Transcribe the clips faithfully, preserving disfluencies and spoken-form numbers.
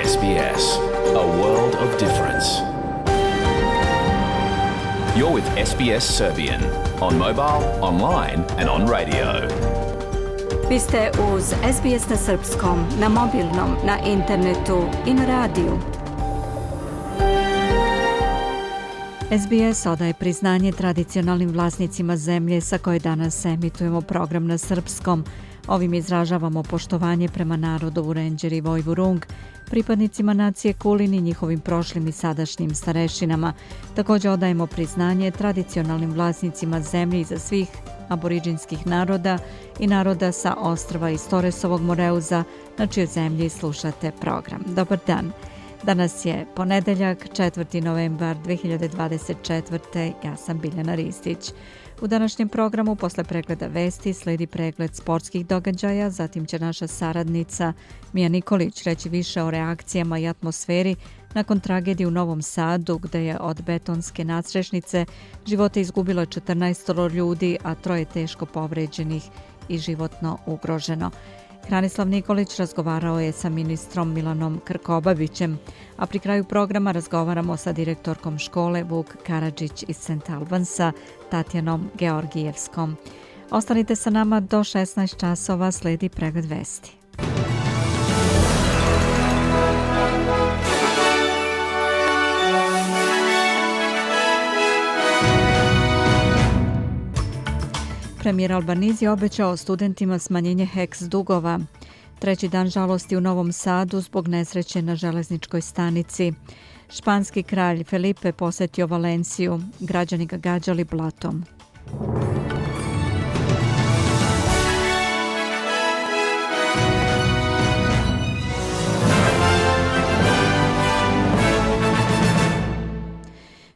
S B S, a world of difference. You're with S B S Serbian on mobile, online and on radio. Vi ste uz S B S na srpskom, na mobilnom, na internetu i na radiju. S B S odaje priznanje tradicionalnim vlasnicima zemlje sa koje danas emitujemo program na srpskom. Ovim izražavamo poštovanje prema narodu Vurenđer i Vojvurung, pripadnicima nacije Kulin i njihovim prošlim i sadašnjim starešinama. Također odajemo priznanje tradicionalnim vlasnicima zemlje iza svih aboriđinskih naroda i naroda sa ostrva iz Toresovog Moreuza, na čijoj zemlji slušate program. Dobar dan. Danas je ponedeljak, četvrti novembar dve hiljade dvadeset četvrte. Ja sam Biljana Ristić. U današnjem programu posle pregleda vesti slijedi pregled sportskih događaja, zatim će naša saradnica Mija Nikolić reći više o reakcijama i atmosferi nakon tragedije u Novom Sadu, gde je od betonske nadstrešnice živote izgubilo četrnaest ljudi, a troje teško povređenih i životno ugroženo. Hranislav Nikolić razgovarao je sa ministrom Milanom Krkobabićem, a pri kraju programa razgovaramo sa direktorkom škole Vuk Karadžić iz Saint Albansa, Tatjanom Georgijevskom. Ostanite sa nama do šesnaest časova, slijedi pregled vesti. Premijer Albanizi obećao studentima smanjenje heks dugova. Treći dan žalosti u Novom Sadu zbog nesreće na železničkoj stanici. Španski kralj Felipe posjetio Valenciju. Građani ga gađali blatom.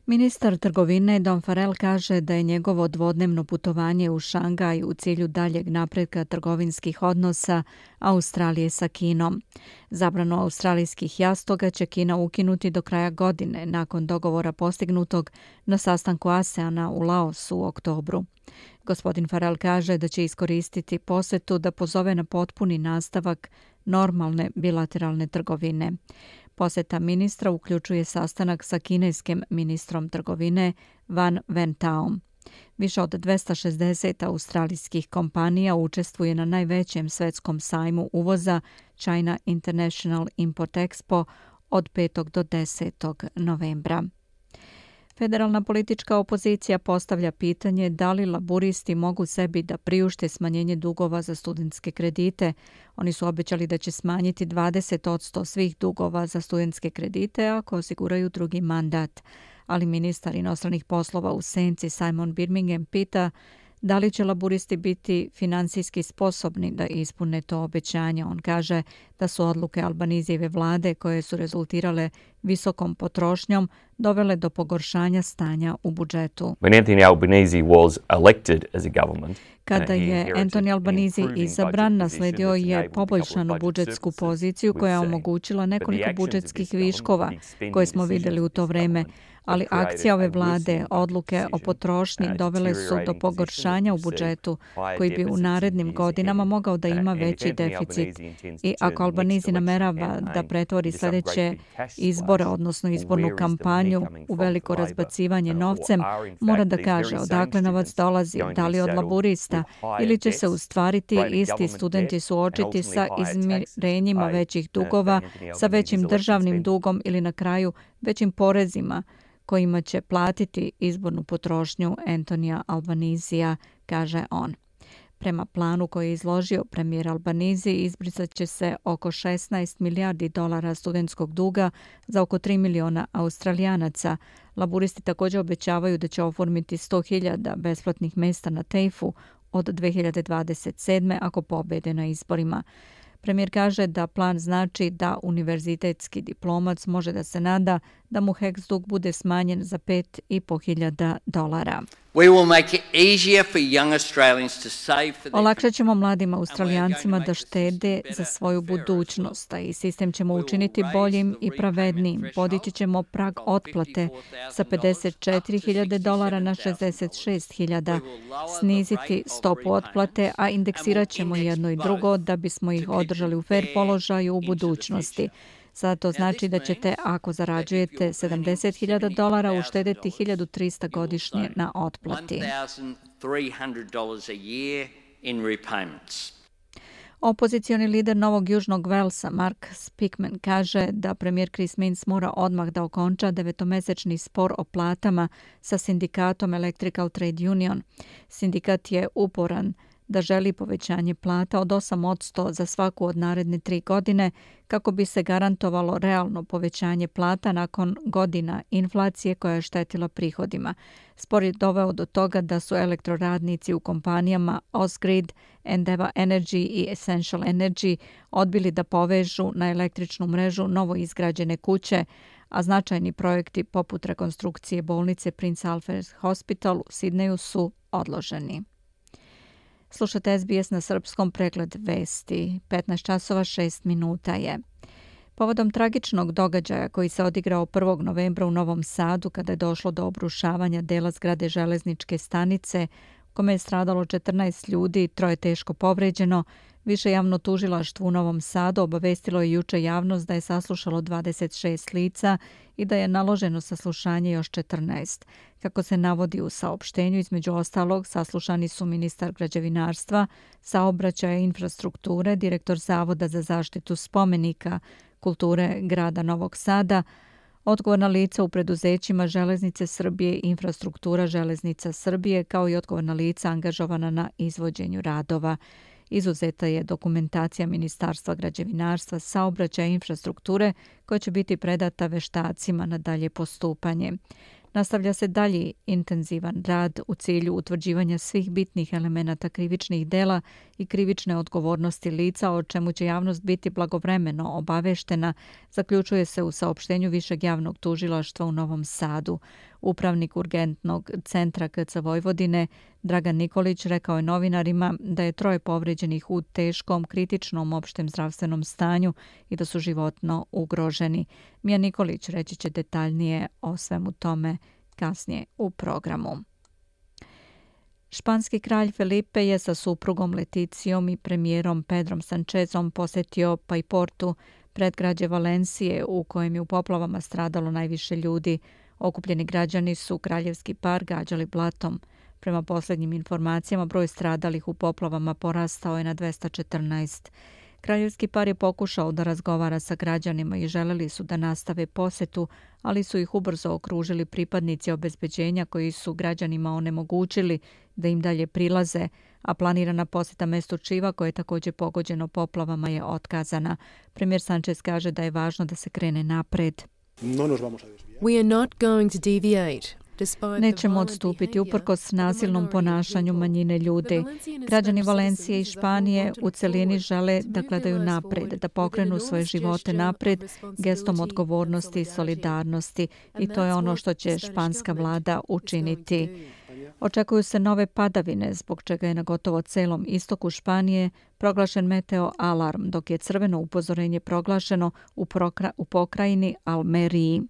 Ministar trgovine Don Farrell kaže da je njegovo dvodnevno putovanje u Šangaj u cilju daljeg napretka trgovinskih odnosa Australije sa Kinom. Zabranu australijskih jastoga će Kina ukinuti do kraja godine nakon dogovora postignutog na sastanku ASEANA u Laosu u oktobru. Gospodin Farrell kaže da će iskoristiti posjetu da pozove na potpuni nastavak normalne bilateralne trgovine. Posjeta ministra uključuje sastanak sa kineskim ministrom trgovine Van Ventaom. Više od dvesta šezdeset australijskih kompanija učestvuje na najvećem svetskom sajmu uvoza China International Import Expo od petog do desetog novembra. Federalna politička opozicija postavlja pitanje da li laburisti mogu sebi da priušte smanjenje dugova za studentske kredite. Oni su obećali da će smanjiti dvadeset posto svih dugova za studentske kredite ako osiguraju drugi mandat. Ali ministar inostranih poslova u senci Simon Birmingham pita da li će laburisti biti finansijski sposobni da ispune to obećanje. On kaže da su odluke Albanizijeve vlade, koje su rezultirale visokom potrošnjom, dovele do pogoršanja stanja u budžetu. When Anthony Albanese was elected as a government, Kada je Anthony Albanese izabran, nasledio je poboljšanu budžetsku poziciju koja je omogućila nekoliko budžetskih viškova koje smo vidjeli u to vreme, ali akcija ove vlade, odluke o potrošnji dovele su do pogoršanja u budžetu koji bi u narednim godinama mogao da ima veći deficit. I ako Albanese namerava da pretvori sljedeće izbore, odnosno izbornu kampanju u veliko razbacivanje novcem, mora da kaže odakle novac dolazi, da li od laburista, ili će se ustvariti isti studenti suočiti sa izmirenjima većih dugova, sa većim državnim dugom ili na kraju većim porezima kojima će platiti izbornu potrošnju Antonija Albanisija, kaže on. Prema planu koji je izložio premijer Albanizi, izbrisat će se oko šesnaest milijardi dolara studentskog duga za oko tri miliona Australijanaca. Laburisti također obećavaju da će oformiti sto hiljada besplatnih mjesta na tejfu od dve hiljade dvadeset sedme ako pobede na izborima. Premijer kaže da plan znači da univerzitetski diplomac može da se nada da mu heks dug bude smanjen za pet i po hiljada dolara. Olakšat ćemo mladim Australijancima da štede za svoju budućnost, a i sistem ćemo učiniti boljim i pravednijim. Podići ćemo prag otplate sa pedeset četiri hiljade dolara na šezdeset šest hiljada, sniziti stopu otplate, a indeksirat ćemo jedno i drugo da bismo ih održali u fer položaju u budućnosti. Sada to znači da ćete, ako zarađujete sedamdeset hiljada dolara, uštedeti hiljadu trista godišnje na otplati. Opozicioni lider Novog Južnog Velsa, Mark Speakman, kaže da premijer Chris Minns mora odmah da okonča devetomesečni spor o platama sa sindikatom Electrical Trade Union. Sindikat je uporan da želi povećanje plata od osam posto za svaku od naredne tri godine kako bi se garantovalo realno povećanje plata nakon godina inflacije koja je štetila prihodima. Spor je doveo do toga da su elektroradnici u kompanijama Osgrid, Endava Energy i Essential Energy odbili da povežu na električnu mrežu novo izgrađene kuće, a značajni projekti poput rekonstrukcije bolnice Prince Alfred Hospital u Sidneju su odloženi. Slušate S B S na srpskom, pregled vesti. petnaest časova šest minuta je. Povodom tragičnog događaja koji se odigrao prvog novembra u Novom Sadu kada je došlo do obrušavanja dela zgrade železničke stanice u kome je stradalo četrnaest ljudi i troje teško povređeno, Više javno tužilaštvo u Novom Sadu obavestilo je juče javnost da je saslušalo dvadeset šest lica i da je naloženo saslušanje još četrnaest. Kako se navodi u saopštenju, između ostalog saslušani su ministar građevinarstva, saobraćaja i infrastrukture, direktor Zavoda za zaštitu spomenika kulture grada Novog Sada, odgovorna lica u preduzećima Železnice Srbije i infrastruktura Železnica Srbije, kao i odgovorna lica angažovana na izvođenju radova. Izuzeta je dokumentacija Ministarstva građevinarstva, saobraćaja i infrastrukture koja će biti predata veštacima na dalje postupanje. Nastavlja se dalji intenzivan rad u cilju utvrđivanja svih bitnih elemenata krivičnih dela i krivične odgovornosti lica, o čemu će javnost biti blagovremeno obaveštena, zaključuje se u saopštenju Višeg javnog tužilaštva u Novom Sadu. Upravnik urgentnog centra K C Vojvodine Dragan Nikolić rekao je novinarima da je troje povređenih u teškom, kritičnom opštem zdravstvenom stanju i da su životno ugroženi. Mija Nikolić reći će detaljnije o svemu tome kasnije u programu. Španski kralj Felipe je sa suprugom Leticijom i premijerom Pedrom Sanchezom posetio Paiportu, predgrađe Valencije, u kojem je u poplavama stradalo najviše ljudi. Okupljeni građani su kraljevski par gađali blatom. Prema posljednjim informacijama, broj stradalih u poplavama porastao je na dvesta četrnaest. Kraljevski par je pokušao da razgovara sa građanima i želeli su da nastave posetu, ali su ih ubrzo okružili pripadnici obezbeđenja koji su građanima onemogućili da im dalje prilaze, a planirana poseta mestu Čiva, koje je također pogođeno poplavama, je otkazana. Premijer Sanchez kaže da je važno da se krene napred. We are not going to deviate. Nećemo odstupiti uprkos nasilnom ponašanju manjine ljudi. Građani Valencije i Španije u celini žele da gledaju napred, da pokrenu svoje živote napred gestom odgovornosti i solidarnosti, i to je ono što će španska vlada učiniti. Očekuju se nove padavine, zbog čega je na gotovo celom istoku Španije proglašen meteo alarm, dok je crveno upozorenje proglašeno u, prokra- u pokrajini Almeriji.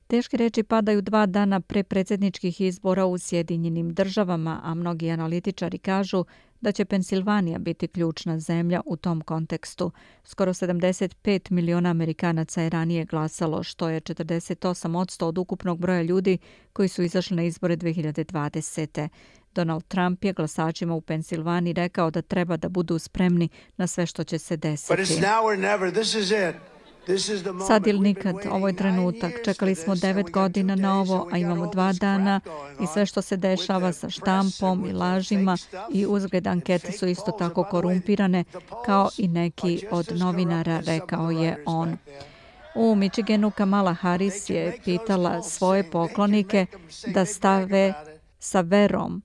Teške reči padaju dva dana pre predsjedničkih izbora u Sjedinjenim državama, a mnogi analitičari kažu da će Pensilvanija biti ključna zemlja u tom kontekstu. Skoro sedamdeset pet miliona Amerikanaca je ranije glasalo, što je četrdeset osam posto od ukupnog broja ljudi koji su izašli na izbore dve hiljade dvadesete. Donald Trump je glasačima u Pensilvaniji rekao da treba da budu spremni na sve što će se desiti. Sad ili nikad, ovo je trenutak. Čekali smo devet godina na ovo, a imamo dva dana i sve što se dešava sa štampom i lažima i uzgled ankete su isto tako korumpirane kao i neki od novinara, rekao je on. U Michiganu Kamala Harris je pitala svoje poklonike da stave sa verom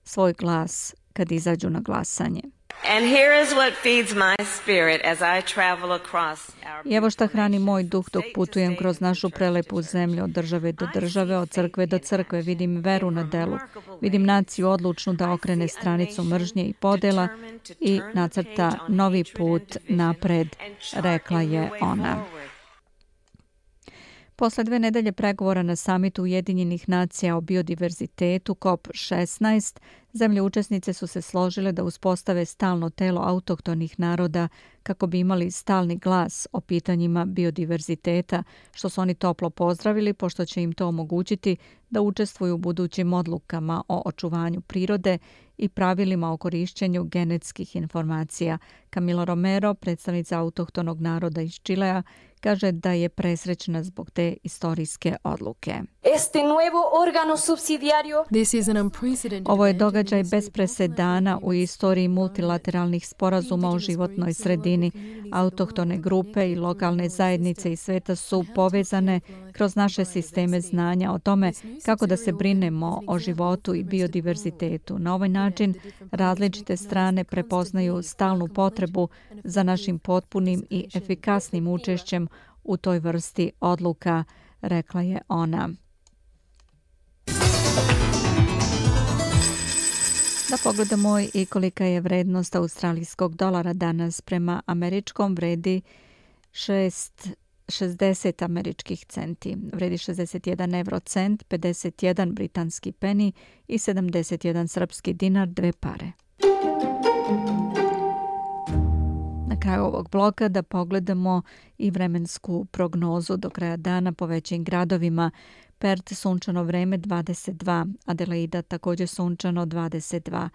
svoj glas kad izađu na glasanje. And here is what feeds my spirit as I travel across our... I evo šta hrani moj duh dok putujem kroz našu prelepu zemlju, od države do države, od crkve do crkve. Vidim veru na delu. Vidim naciju odlučnu da okrene stranicu mržnje i podela i nacrta novi put napred, rekla je ona. Posle dve nedelje pregovora na samitu Ujedinjenih nacija o biodiverzitetu C O P šesnaest, zemlje učesnice su se složile da uspostave stalno telo autohtonih naroda kako bi imali stalni glas o pitanjima biodiverziteta, što su oni toplo pozdravili pošto će im to omogućiti da učestvuju u budućim odlukama o očuvanju prirode i pravilima o korišćenju genetskih informacija. Camilo Romero, predstavnica autohtonog naroda iz Čilea, kaže da je presrećna zbog te istorijske odluke. Ovo je događaj bez presedana u istoriji multilateralnih sporazuma o životnoj sredini. Autohtone grupe i lokalne zajednice iz sveta su povezane kroz naše sisteme znanja o tome kako da se brinemo o životu i biodiverzitetu. Na ovaj način različite strane prepoznaju stalnu potrebu za našim potpunim i efikasnim učešćem u toj vrsti odluka, rekla je ona. Da pogledamo i kolika je vrednost australijskog dolara danas. Prema američkom vredi šest šezdeset američkih centi. Vredi šezdeset jedan evrocent, pedeset jedan britanski peni i sedamdeset jedan srpski dinar, dve pare. Na kraju ovog bloka da pogledamo i vremensku prognozu do kraja dana po većim gradovima. Perth sunčano vreme dvadeset dva, Adelaida također sunčano dvadeset dva,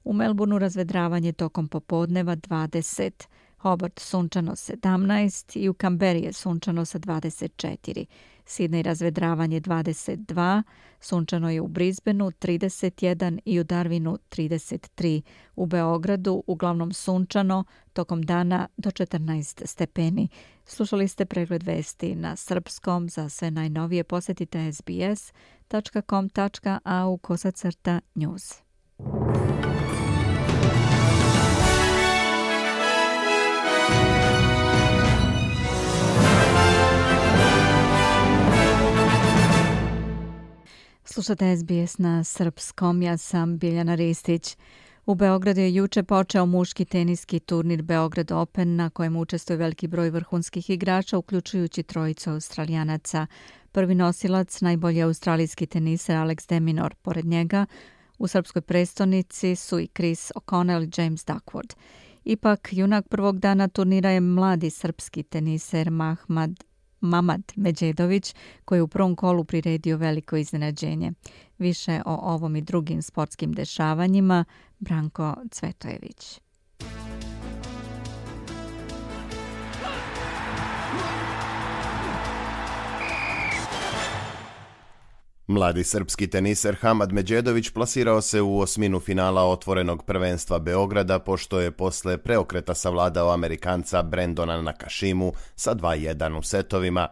u Melbourneu razvedravanje tokom popodneva dvadeset, Hobart sunčano sedamnaest i u Canberri je sunčano sa dvadeset četiri. Sydney razvedravanje dvadeset dva, sunčano je u Brisbaneu trideset jedan i u Darwinu trideset tri. U Beogradu uglavnom sunčano, tokom dana do četrnaest stepeni. Slušali ste pregled vesti na srpskom. Za sve najnovije posjetite es be es tačka com tačka a u kosacrta news. Slušate es be es na srpskom, ja sam Biljana Ristić. U Beogradu je juče počeo muški teniski turnir Beograd Open na kojem učestvuje veliki broj vrhunskih igrača, uključujući trojicu Australijanaca. Prvi nosilac, najbolji australijski teniser Alex de Minaur. Pored njega, u srpskoj prestonici su i Chris O'Connell i James Duckworth. Ipak, junak prvog dana turnira je mladi srpski teniser Mahmad Mamad Medjedović, koji je u prvom kolu priredio veliko iznenađenje. Više o ovom i drugim sportskim dešavanjima Branko Cvetojević. Mladi srpski teniser Hamad Medjedović plasirao se u osminu finala otvorenog prvenstva Beograda, pošto je posle preokreta savladao Amerikanca Brendona Nakashimu sa dva jedan u setovima.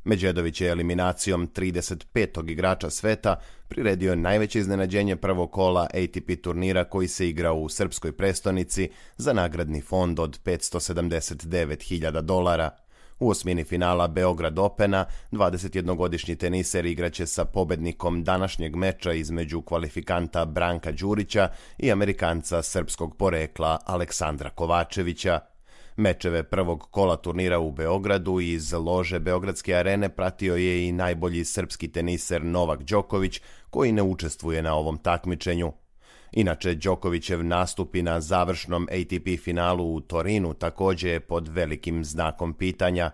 Medjedović je eliminacijom trideset petog igrača sveta priredio najveće iznenađenje prvog kola A T P turnira koji se igrao u srpskoj prestonici za nagradni fond od petsto sedamdeset devet hiljada dolara. U osmini finala Beograd Opena dvadesetjednogodišnji teniser igraće sa pobednikom današnjeg meča između kvalifikanta Branka Đurića i Amerikanca srpskog porekla Aleksandra Kovačevića. Mečeve prvog kola turnira u Beogradu iz lože Beogradske arene pratio je i najbolji srpski teniser Novak Đoković, koji ne učestvuje na ovom takmičenju. Inače, Đokovićev nastupi na završnom A T P finalu u Torinu također je pod velikim znakom pitanja.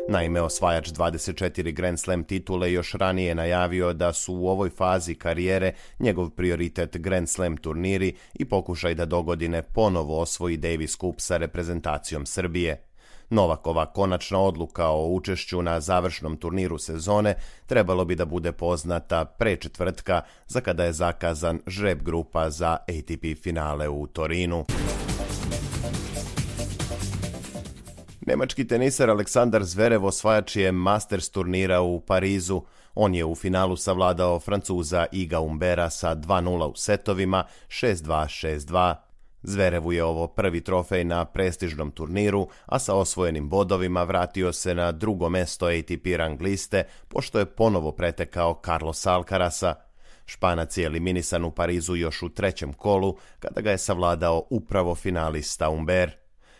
Naime, osvajač dvadeset četiri Grand Slam titule još ranije najavio da su u ovoj fazi karijere njegov prioritet Grand Slam turniri i pokušaj da dogodine ponovo osvoji Davis Cup sa reprezentacijom Srbije. Novakova konačna odluka o učešću na završnom turniru sezone trebalo bi da bude poznata pre četvrtka, za kada je zakazan žreb grupa za A T P finale u Torinu. Nemački teniser Aleksandar Zverev osvajač je Masters turnira u Parizu. On je u finalu savladao Francuza Iga Humbera sa dva nula u setovima, šest dva šest dva. Zverevu je ovo prvi trofej na prestižnom turniru, a sa osvojenim bodovima vratio se na drugo mesto A T P rang liste, pošto je ponovo pretekao Carlos Alcarasa. Španac je eliminisan u Parizu još u trećem kolu, kada ga je savladao upravo finalista Humber.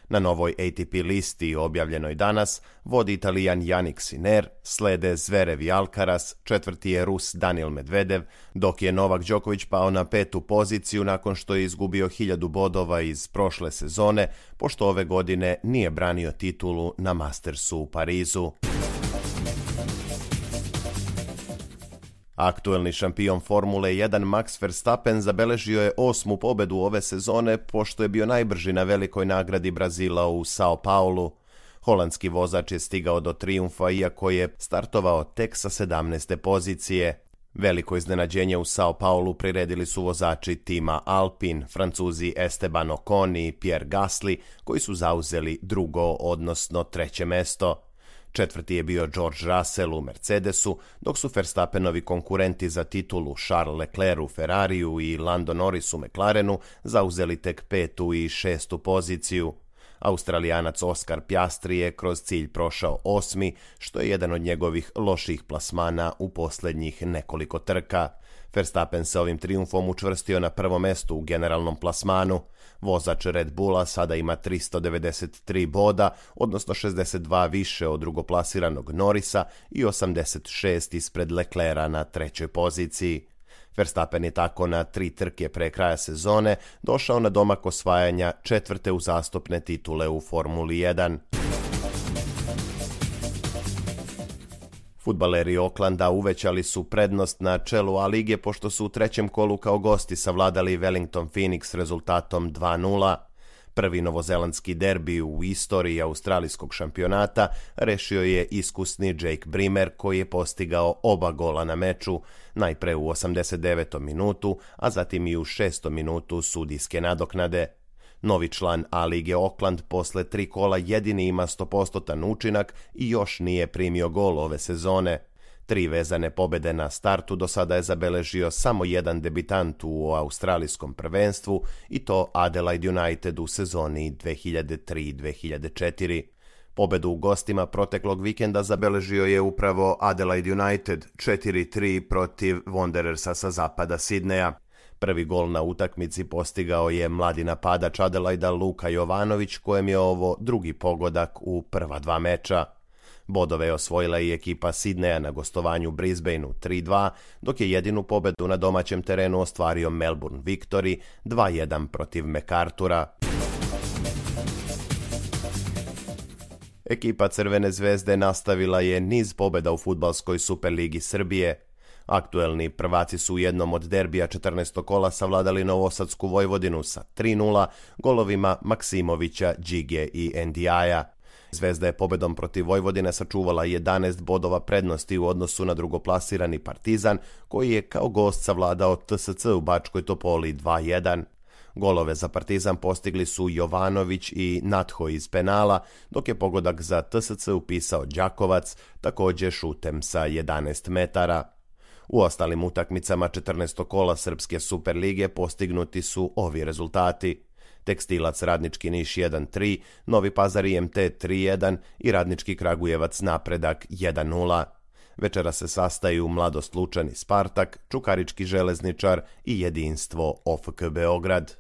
Na novoj A T P listi objavljenoj danas vodi Italijan Jannik Sinner, slede Zverev i Alcaraz, četvrti je Rus Daniil Medvedev, dok je Novak Đoković pao na petu poziciju nakon što je izgubio hiljadu bodova iz prošle sezone, pošto ove godine nije branio titulu na Mastersu u Parizu. Aktuelni šampion Formule jedan Max Verstappen zabeležio je osmu pobedu ove sezone pošto je bio najbrži na velikoj nagradi Brazila u Sao Paulu. Holandski vozač je stigao do trijumfa iako je startovao tek sa sedamnaeste pozicije. Veliko iznenađenje u Sao Paulu priredili su vozači tima Alpine, Francuzi Esteban Ocon i Pierre Gasly, koji su zauzeli drugo, odnosno treće mesto. Četvrti je bio George Russell u Mercedesu, dok su Verstappenovi konkurenti za titulu Charles Leclerc u Ferrariju i Lando Norris u McLarenu zauzeli tek petu i šestu poziciju. Australijanac Oscar Piastri je kroz cilj prošao osmi, što je jedan od njegovih loših plasmana u posljednjih nekoliko trka. Verstappen se ovim trijumfom učvrstio na prvo mesto u generalnom plasmanu. Vozač Red Bulla sada ima tristo devedeset tri boda, odnosno šezdeset dva više od drugoplasiranog Norrisa i osamdeset šest ispred Leclerca na trećoj poziciji. Verstappen je tako na tri trke pre kraja sezone došao na domak osvajanja četvrte uzastopne titule u Formuli jedan. Fudbaleri Aucklanda uvećali su prednost na čelu A lige pošto su u trećem kolu kao gosti savladali Wellington Phoenix rezultatom dva nula. Prvi novozelandski derbi u istoriji australijskog šampionata rešio je iskusni Jake Brimmer koji je postigao oba gola na meču, najpre u osamdeset devetom minutu, a zatim i u šestom minutu sudijske nadoknade. Novi član A lige Auckland posle tri kola jedini ima sto posto učinak i još nije primio gol ove sezone. Tri vezane pobede na startu do sada je zabeležio samo jedan debitant u australijskom prvenstvu i to Adelaide United u sezoni dve hiljade tri dve hiljade četiri. Pobedu u gostima proteklog vikenda zabeležio je upravo Adelaide United četiri tri protiv Wanderersa sa zapada Sidneja. Prvi gol na utakmici postigao je mladi napadač Adelaida Luka Jovanović, kojem je ovo drugi pogodak u prva dva meča. Bodove je osvojila i ekipa Sidneja na gostovanju Brisbaneu tri dva, dok je jedinu pobedu na domaćem terenu ostvario Melbourne Victory dva jedan protiv MacArthura. Ekipa Crvene zvezde nastavila je niz pobeda u fudbalskoj Superligi Srbije. Aktuelni prvaci su u jednom od derbija četrnaestog kola savladali Novosadsku Vojvodinu sa tri nula golovima Maksimovića, Đige i Ndiaja. Zvezda je pobedom protiv Vojvodine sačuvala jedanaest bodova prednosti u odnosu na drugoplasirani Partizan, koji je kao gost savladao T S C u Bačkoj Topoli dva jedan. Golove za Partizan postigli su Jovanović i Natho iz penala, dok je pogodak za T S C upisao Đakovac, također šutem sa jedanaest metara. U ostalim utakmicama četrnaestog kola Srpske Superlige postignuti su ovi rezultati. Tekstilac Radnički Niš jedan tri, Novi Pazar I M T tri jedan i Radnički Kragujevac Napredak jedan nula. Večera se sastaju Mladost Lučani Spartak, Čukarički Železničar i Jedinstvo O F K Beograd.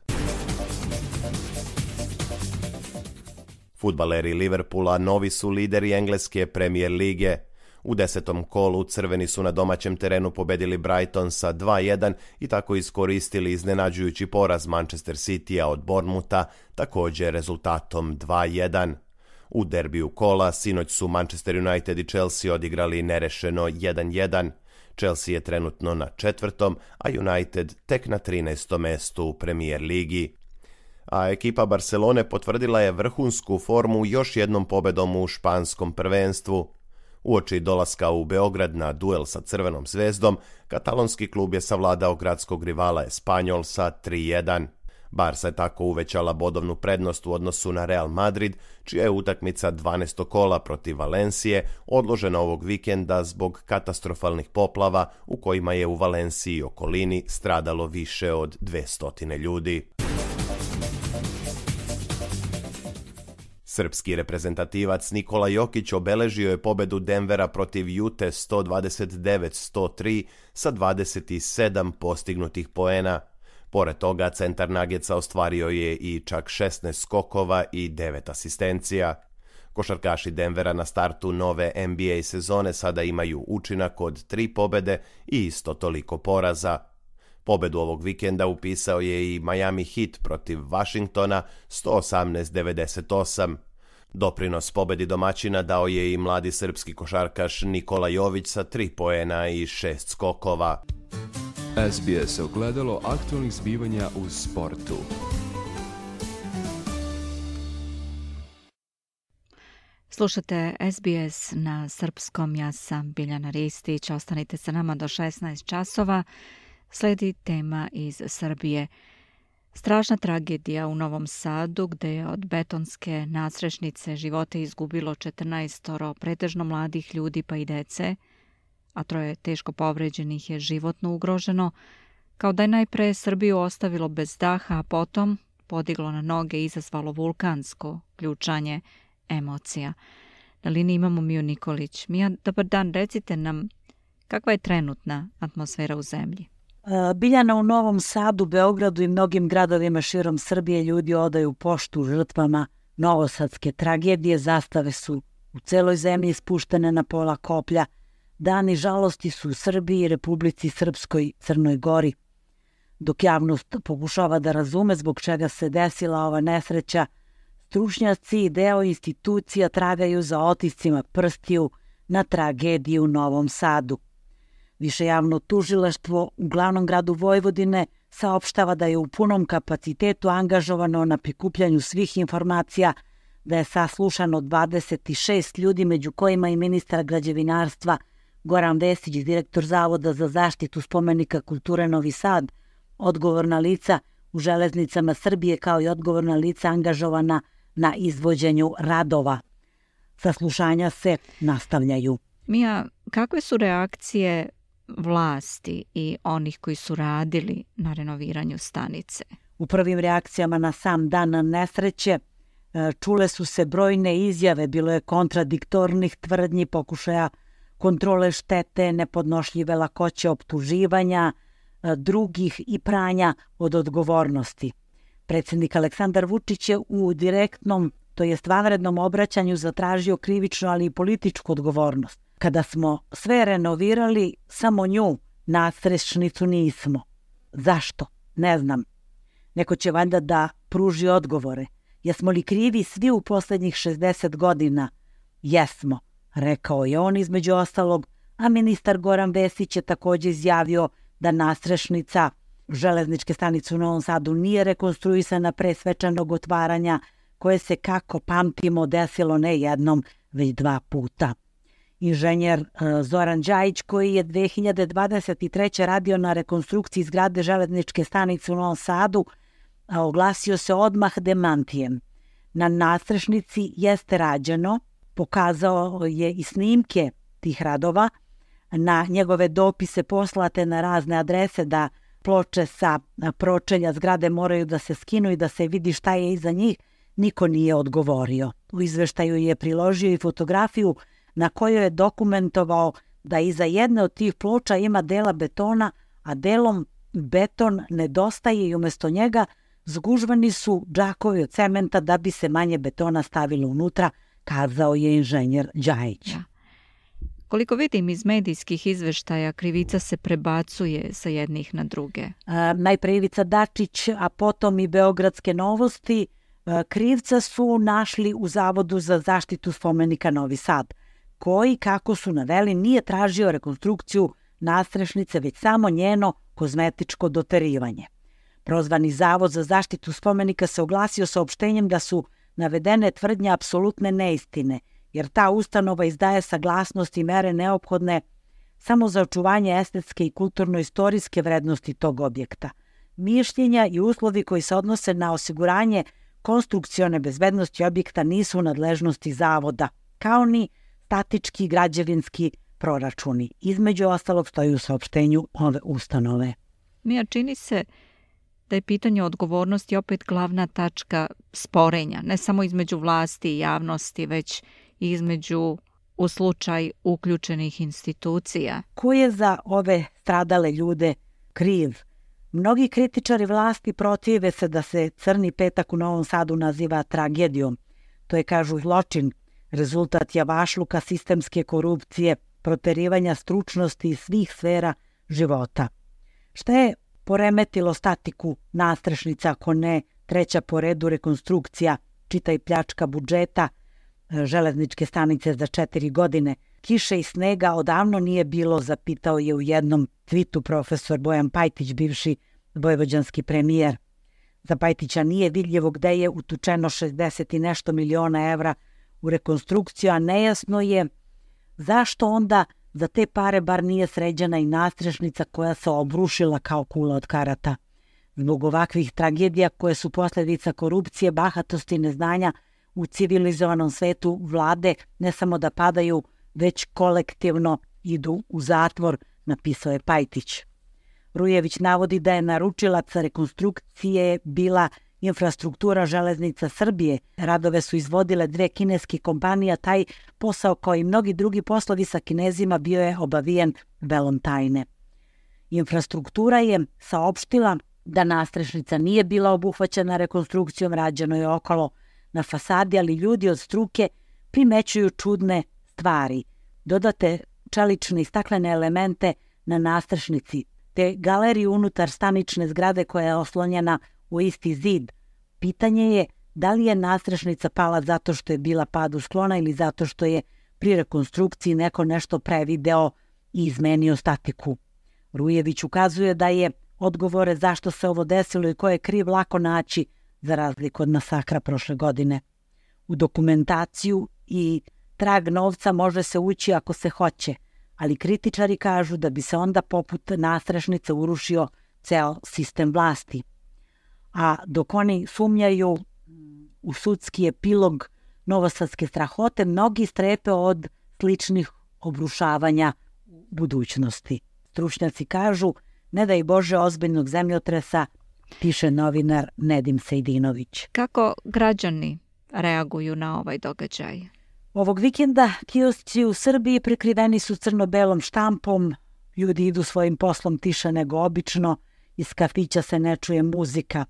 Fudbaleri Liverpoola novi su lideri engleske Premier lige. U desetom kolu crveni su na domaćem terenu pobedili Brighton sa dva jedan i tako iskoristili iznenađujući poraz Manchester Citya od Bournemoutha, također rezultatom dva jedan. U derbiju kola sinoć su Manchester United i Chelsea odigrali nerešeno jedan jedan. Chelsea je trenutno na četvrtom, a United tek na trinaestom mestu u Premier ligi. A ekipa Barcelone potvrdila je vrhunsku formu još jednom pobedom u španskom prvenstvu. Uoči dolaska u Beograd na duel sa Crvenom zvezdom, katalonski klub je savladao gradskog rivala Espanyol sa tri jedan. Barca je tako uvećala bodovnu prednost u odnosu na Real Madrid, čija je utakmica dvanaestog kola protiv Valencije odložena ovog vikenda zbog katastrofalnih poplava u kojima je u Valenciji i okolini stradalo više od dvesta ljudi. Srpski reprezentativac Nikola Jokić obeležio je pobedu Denvera protiv Jute sto dvadeset devet sto tri sa dvadeset sedam postignutih poena. Pored toga, centar Nuggetsa ostvario je i čak šesnaest skokova i devet asistencija. Košarkaši Denvera na startu nove N B A sezone sada imaju učinak od tri pobede i isto toliko poraza. Pobedu ovog vikenda upisao je i Miami Heat protiv Washingtona sto osamnaest devedeset osam. Doprinos pobedi domaćina dao je i mladi srpski košarkaš Nikola Jović sa tri poena i šest skokova. S B S ogledalo aktualnih zbivanja u sportu. Slušate S B S na srpskom, ja sam Biljana Ristić, ostanite sa nama do šesnaest časova. Sledi tema iz Srbije. Strašna tragedija u Novom Sadu, gde je od betonske nadstrešnice živote izgubilo četrnaestoro pretežno mladih ljudi pa i dece, a troje teško povređenih je životno ugroženo, kao da je najpre Srbiju ostavilo bez daha, a potom podiglo na noge i izazvalo vulkansko ključanje emocija. Na liniji imamo Miju Nikolić. Mija, dobar dan, recite nam kakva je trenutna atmosfera u zemlji? Biljana, u Novom Sadu, Beogradu i mnogim gradovima širom Srbije ljudi odaju poštu žrtvama novosadske tragedije. Zastave su u celoj zemlji spuštene na pola koplja. Dani žalosti su u Srbiji, Republici Srpskoj, Crnoj Gori. Dok javnost pokušava da razume zbog čega se desila ova nesreća, stručnjaci i deo institucija tragaju za otiscima prstiju na tragediju u Novom Sadu. Više javno tužilaštvo u glavnom gradu Vojvodine saopštava da je u punom kapacitetu angažovano na prikupljanju svih informacija, da je saslušano dvadeset šest ljudi, među kojima i ministar građevinarstva Goran Vesić, direktor Zavoda za zaštitu spomenika kulture Novi Sad, odgovorna lica u Železnicama Srbije, kao i odgovorna lica angažovana na izvođenju radova. Saslušanja se nastavljaju. Mija, kakve su reakcije vlasti i onih koji su radili na renoviranju stanice? U prvim reakcijama na sam dan nesreće čule su se brojne izjave, bilo je kontradiktornih tvrdnji, pokušaja kontrole štete, nepodnošljive lakoće optuživanja drugih i pranja od odgovornosti. Predsjednik Aleksandar Vučić je u direktnom, to jest vanrednom obraćanju zatražio krivičnu, ali i političku odgovornost. Kada smo sve renovirali, samo nju, nadstrešnicu, nismo. Zašto? Ne znam. Neko će valjda da pruži odgovore. Jesmo li krivi svi u posljednjih šezdeset godina? Jesmo, rekao je on između ostalog, a ministar Goran Vesić je također izjavio da nadstrešnica železničke stanice u Novom Sadu nije rekonstruisana pre svečanog otvaranja, koje se, kako pamtimo, desilo ne jednom, već dva puta. Inženjer Zoran Đajić, koji je dve hiljade dvadeset treće radio na rekonstrukciji zgrade železničke stanice u Novom Sadu, oglasio se odmah demantijem. Na nadstrešnici jeste rađeno, pokazao je i snimke tih radova, na njegove dopise poslate na razne adrese da ploče sa pročelja zgrade moraju da se skinu i da se vidi šta je iza njih, niko nije odgovorio. U izveštaju je priložio i fotografiju na kojoj je dokumentovao da iza jedne od tih ploča ima dela betona, a delom beton nedostaje i umjesto njega zgužvani su džakovi od cementa da bi se manje betona stavilo unutra, kazao je inženjer Đajić. Ja. Koliko vidim iz medijskih izveštaja, krivica se prebacuje sa jednih na druge. A, najpre Ivica Dačić, a potom i Beogradske novosti. A, krivca su našli u Zavodu za zaštitu spomenika Novi Sad, koji, kako su naveli, nije tražio rekonstrukciju nadstrešnice, već samo njeno kozmetičko doterivanje. Prozvani Zavod za zaštitu spomenika se oglasio saopštenjem da su navedene tvrdnje apsolutne neistine, jer ta ustanova izdaje saglasnost i mere neophodne samo za očuvanje estetske i kulturno-istorijske vrednosti tog objekta. Mišljenja i uslovi koji se odnose na osiguranje konstrukcione bezbednosti objekta nisu u nadležnosti Zavoda, kao ni statički građevinski proračuni. Između ostalog stoji u saopštenju ove ustanove. Mija, čini se da je pitanje odgovornosti opet glavna tačka sporenja, ne samo između vlasti i javnosti, već i između u slučaj uključenih institucija. Ko je za ove stradale ljude kriv? Mnogi kritičari vlasti protive se da se Crni petak u Novom Sadu naziva tragedijom. To je, kažu, zločin, rezultat javašluka, sistemske korupcije, proterivanja stručnosti iz svih sfera života. Šta je poremetilo statiku nastrešnica, ako ne treća po redu rekonstrukcija, čitaj pljačka budžeta, železničke stanice za četiri godine? Kiše i snega odavno nije bilo, zapitao je u jednom twitu profesor Bojan Pajtić, bivši vojvođanski premijer. Za Pajtića nije vidljivo gde je utučeno šezdeset i nešto miliona evra u rekonstrukciju, a nejasno je zašto onda za te pare bar nije sređena i nastrešnica koja se obrušila kao kula od karata. Zbog ovakvih tragedija koje su posljedica korupcije, bahatosti i neznanja u civilizovanom svetu, vlade ne samo da padaju, već kolektivno idu u zatvor, napisao je Pajtić. Rujević navodi da je naručilac rekonstrukcije bila Infrastruktura železnica Srbije. Radove su izvodile dve kineske kompanije, taj posao kao i mnogi drugi poslovi sa Kinezima bio je obavijen velom tajne. Infrastruktura je saopštila da nastrešnica nije bila obuhvaćena rekonstrukcijom, rađeno je okolo na fasadi, ali ljudi od struke primećuju čudne stvari. Dodate čelične i staklene elemente na nastrešnici, te galeriju unutar stanične zgrade koja je oslonjena u isti zid. Pitanje je da li je nastrešnica pala zato što je bila padu sklona ili zato što je pri rekonstrukciji neko nešto prevideo i izmenio statiku. Rujević ukazuje da je odgovore zašto se ovo desilo i ko je kriv lako naći, za razliku od masakra prošle godine. U dokumentaciju i trag novca može se ući ako se hoće, ali kritičari kažu da bi se onda poput nastrešnice urušio ceo sistem vlasti. A dok oni sumnjaju u sudski epilog novosadske strahote, mnogi strepe od sličnih obrušavanja u budućnosti. Stručnjaci kažu, ne daj Bože ozbiljnog zemljotresa, piše novinar Nedim Sejdinović. Kako građani reaguju na ovaj događaj? Ovog vikenda kiosci u Srbiji prekriveni su crno-belom štampom, ljudi idu svojim poslom tiše nego obično, iz kafića se ne čuje muzika.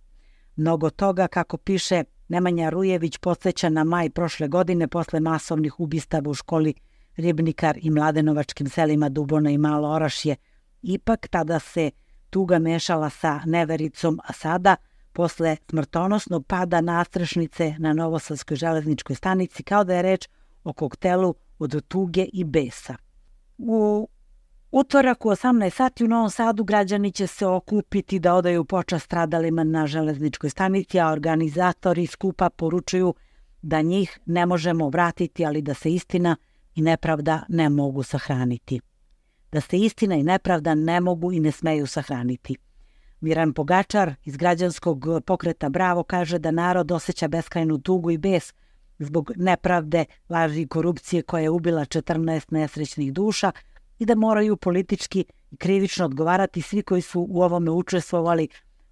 Mnogo toga, kako piše Nemanja Rujević, podsjeća na maj prošle godine posle masovnih ubistava u školi Ribnikar i mladenovačkim selima Dubona i Malo Orašje. Ipak tada se tuga mešala sa nevericom, a sada, posle smrtonosnog pada nastrešnice na Novosadskoj železničkoj stanici, kao da je reč o koktelu od tuge i besa. U utorak u osamnaest sati u Novom Sadu građani će se okupiti da odaju počast stradalima na železničkoj stanici, a organizatori skupa poručuju da njih ne možemo vratiti, ali da se istina i nepravda ne mogu sahraniti. Da se istina i nepravda ne mogu i ne smeju sahraniti. Miran Pogačar iz građanskog pokreta Bravo kaže da narod osjeća beskrajnu tugu i bes zbog nepravde, laži i korupcije koja je ubila četrnaest nesrećnih duša i da moraju politički i krivično odgovarati svi koji su u ovome učestvovali,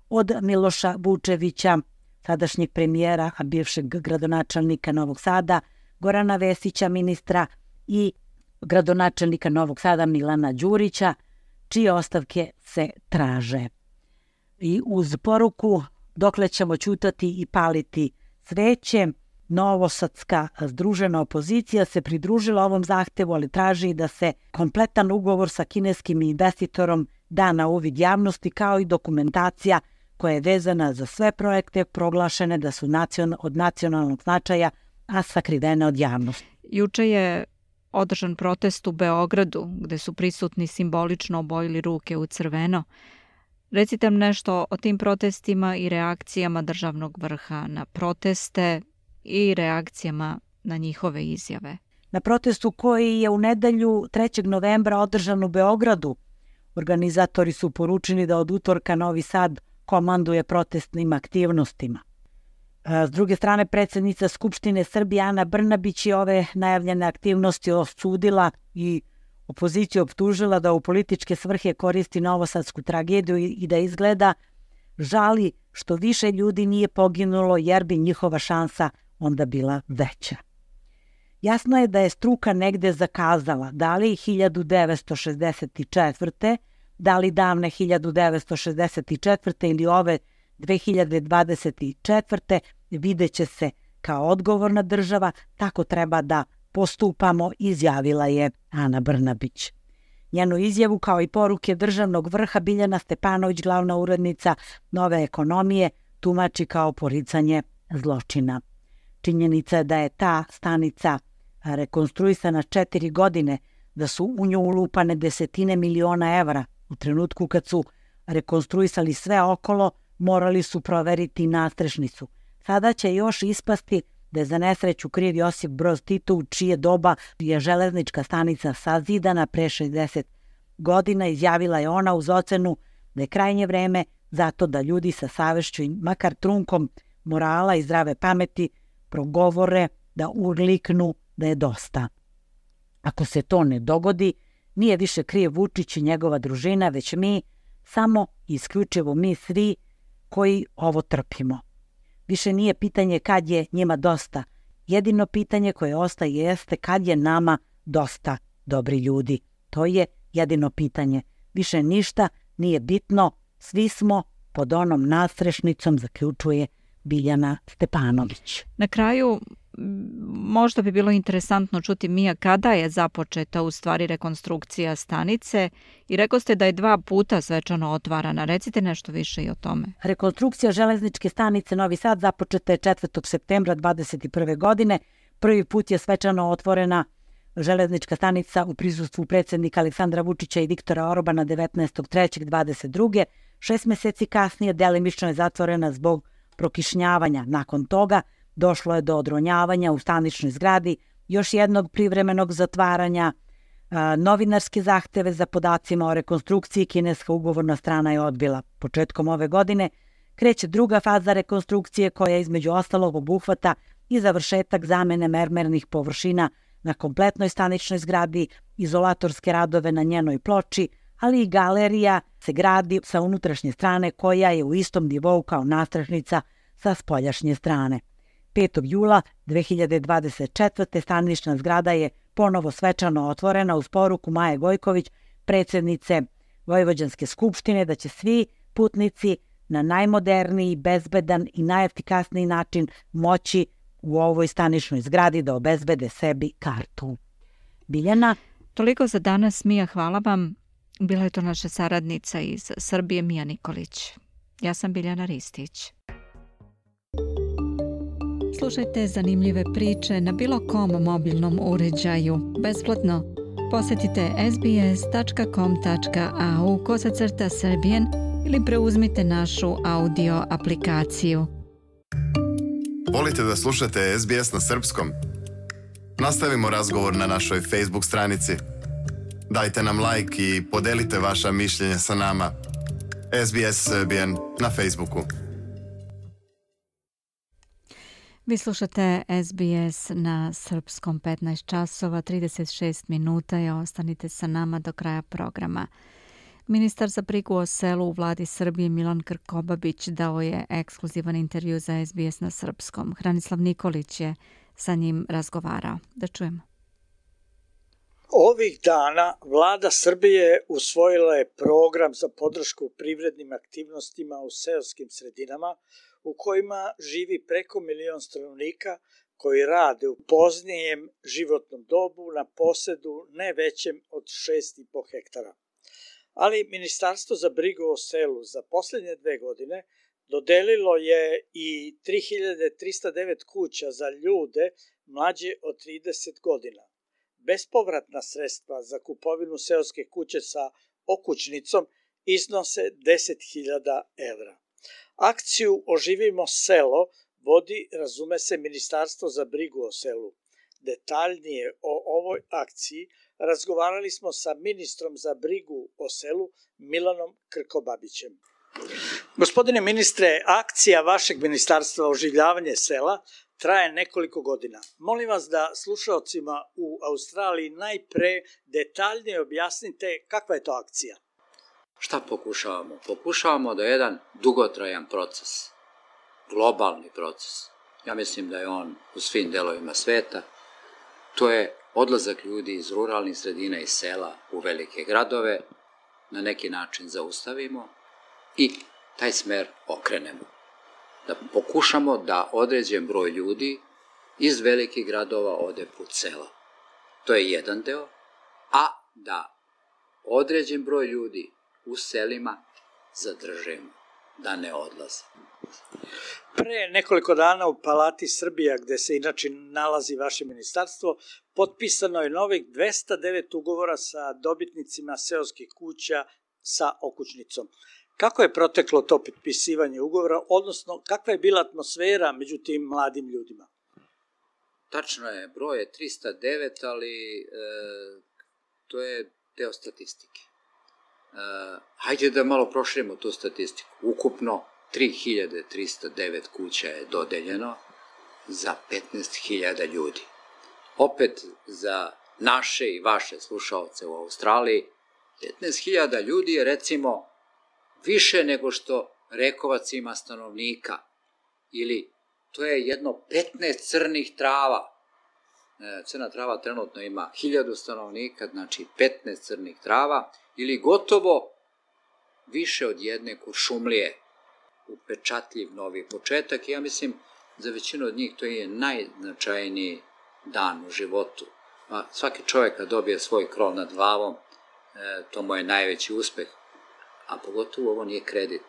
od Miloša Vučevića, sadašnjeg premijera, a bivšeg gradonačelnika Novog Sada, Gorana Vesića, ministra, i gradonačelnika Novog Sada Milana Đurića, čije ostavke se traže. I uz poruku dokle ćemo ćutati i paliti sveće, novosadska združena opozicija se pridružila ovom zahtevu, ali traži da se kompletan ugovor sa kineskim investitorom da na uvid javnosti, kao i dokumentacija koja je vezana za sve projekte proglašene da su nacion, od nacionalnog značaja, a sakrivene od javnosti. Juče je održan protest u Beogradu, gde su prisutni simbolično obojili ruke u crveno. Recite nam nešto o tim protestima i reakcijama državnog vrha na proteste i reakcijama na njihove izjave. Na protestu koji je u nedelju trećeg novembra održan u Beogradu, organizatori su poručili da od utorka Novi Sad komanduje protestnim aktivnostima. S druge strane, predsjednica Skupštine Srbije Ana Brnabić je ove najavljene aktivnosti osudila i opoziciju optužila da u političke svrhe koristi novosadsku tragediju i da izgleda žali što više ljudi nije poginulo, jer bi njihova šansa onda bila veća. Jasno je da je struka negde zakazala, da li hiljadu devetsto šezdeset četvrte da li davne hiljadu devetsto šezdeset četvrte. ili ove dve hiljade dvadeset četvrte. vidjet će se kao odgovorna država, tako treba da postupamo, izjavila je Ana Brnabić. Njenu izjavu kao i poruke državnog vrha Biljana Stepanović, glavna urednica Nove ekonomije, tumači kao poricanje zločina. Činjenica je da je ta stanica rekonstruisana četiri godine, da su u nju ulupane desetine miliona evra. U trenutku kad su rekonstruisali sve okolo, morali su proveriti nastrešnicu. Sada će još ispasti da je za nesreću kriv Josip Broz Tito, u čije doba je železnička stanica sazidana pre šezdeset godina, izjavila je ona uz ocenu da je krajnje vreme zato da ljudi sa savešću i makar trunkom morala i zdrave pameti progovore, da urliknu da je dosta. Ako se to ne dogodi, nije više kriv Vučić i njegova družina, već mi, samo i isključivo mi svi koji ovo trpimo. Više nije pitanje kad je njima dosta. Jedino pitanje koje ostaje jeste kad je nama dosta, dobri ljudi. To je jedino pitanje. Više ništa nije bitno, svi smo pod onom nastrešnicom, zaključuje Biljana Stepanović. Na kraju, možda bi bilo interesantno čuti, Mija, kada je započeta u stvari rekonstrukcija stanice i rekao ste da je dva puta svečano otvarana. Recite nešto više i o tome. Rekonstrukcija železničke stanice Novi Sad započeta je četvrtog septembra dvadeset prve. godine. Prvi put je svečano otvorena železnička stanica u prisustvu predsjednika Aleksandra Vučića i Viktora Orbana devetnaestog trećeg dvadeset druge. Šest meseci kasnije delimično je zatvorena zbog prokišnjavanja. Nakon toga došlo je do odronjavanja u staničnoj zgradi, još jednog privremenog zatvaranja. Novinarske zahteve za podacima o rekonstrukciji kineska ugovorna strana je odbila. Početkom ove godine kreće druga faza rekonstrukcije koja između ostalog obuhvata i završetak zamene mermernih površina na kompletnoj staničnoj zgradi, izolatorske radove na njenoj ploči, ali i galerija se gradi sa unutrašnje strane koja je u istom nivou kao nastrešnica sa spoljašnje strane. petog jula dve hiljade dvadeset četvrte. stanična zgrada je ponovo svečano otvorena uz poruku Maje Gojković, predsjednice Vojvođanske skupštine, da će svi putnici na najmoderniji, bezbedan i najefikasniji način moći u ovoj staničnoj zgradi da obezbede sebi kartu. Biljana? Toliko za danas, Mija, hvala vam. Bila je to naša saradnica iz Srbije, Mija Nikolić. Ja sam Biljana Ristić. Slušajte zanimljive priče na bilo kom mobilnom uređaju, besplatno. Posjetite sbs.com.au kosacrta Serbian ili preuzmite našu audio aplikaciju. Volite da slušate S B S na srpskom? Nastavimo razgovor na našoj Facebook stranici. Dajte nam like i podelite vaša mišljenja sa nama. S B S Serbian na Facebooku. Vi slušate S B S na srpskom, petnaest časova, trideset šest minuta i ostanite sa nama do kraja programa. Ministar za brigu o selu u vladi Srbije Milan Krkobabić dao je ekskluzivan intervju za S B S na srpskom. Hranislav Nikolić je sa njim razgovarao. Da čujemo. Ovih dana vlada Srbije usvojila je program za podršku privrednim aktivnostima u seoskim sredinama u kojima živi preko milion stanovnika koji rade u poznijem životnom dobu na posedu ne većem od šest i po hektara. Ali Ministarstvo za brigu o selu za posljednje dve godine dodelilo je i tri hiljade trista devet kuća za ljude mlađe od trideset godina. Bespovratna sredstva za kupovinu seoske kuće sa okućnicom iznose deset hiljada evra. Akciju Oživimo selo vodi, razume se, Ministarstvo za brigu o selu. Detaljnije o ovoj akciji razgovarali smo sa ministrom za brigu o selu Milanom Krkobabićem. Gospodine ministre, akcija vašeg ministarstva Oživljavanje sela traje nekoliko godina. Molim vas da slušalcima u Australiji najpre detaljnije objasnite kakva je to akcija. Šta pokušavamo? Pokušavamo da je jedan dugotrajan proces, globalni proces. Ja mislim da je on u svim delovima sveta. To je odlazak ljudi iz ruralnih sredina i sela u velike gradove na neki način zaustavimo i taj smer okrenemo. Da pokušamo da određen broj ljudi iz velikih gradova ode put sela. To je jedan deo, a da određen broj ljudi u selima zadržimo, da ne odlaze. Pre nekoliko dana u Palati Srbija, gde se inače nalazi vaše ministarstvo, potpisano je novih dvesta devet ugovora sa dobitnicima seoskih kuća sa okućnicom. Kako je proteklo to potpisivanje ugovora, odnosno kakva je bila atmosfera među tim mladim ljudima? Tačno je, broj je trista devet, ali e, to je deo statistike. E, hajde da malo proširimo tu statistiku. Ukupno tri hiljade trista devet kuća je dodeljeno za petnaest hiljada ljudi. Opet za naše i vaše slušaoce u Australiji, petnaest hiljada ljudi je recimo više nego što Rekovac ima stanovnika, ili to je jedno petnaest crnih trava. Crna trava trenutno ima hiljadu stanovnika, znači petnaest crnih trava, ili gotovo više od jedne Kuršumlije. Upečatljiv novi početak i ja mislim za većinu od njih to je najznačajniji dan u životu. Pa svaki čovjek kad dobije svoj krov nad glavom, to mu je najveći uspeh, a pogotovo ovo nije kredit.